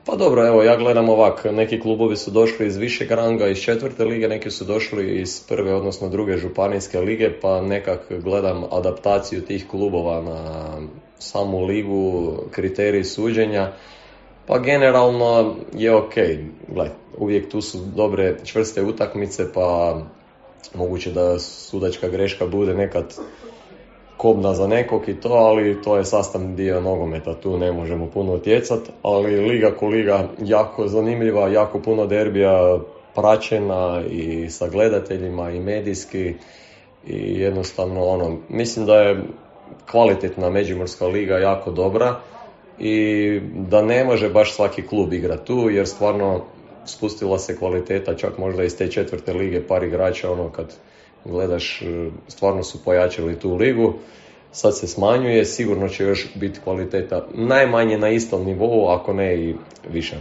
Pa dobro, evo ja gledam ovak, neki klubovi su došli iz višeg ranga, iz četvrte lige, neki su došli iz prve, odnosno druge županijske lige, pa nekak gledam adaptaciju tih klubova na samu ligu, kriteriji suđenja. Pa generalno je ok, gle, uvijek tu su dobre čvrste utakmice, pa moguće da sudačka greška bude nekad kobna za nekog i to, ali to je sastavni dio nogometa, tu ne možemo puno utjecati, ali liga ko liga jako zanimljiva, jako puno derbija praćena i sa gledateljima i medijski i jednostavno mislim da je kvalitetna Međimurska liga jako dobra i da ne može baš svaki klub igrati tu jer stvarno spustila se kvaliteta čak možda iz te četvrte lige par igrača kad gledaš stvarno su pojačali tu ligu. Sad se smanjuje, sigurno će još biti kvaliteta najmanje na istom nivou, ako ne i više.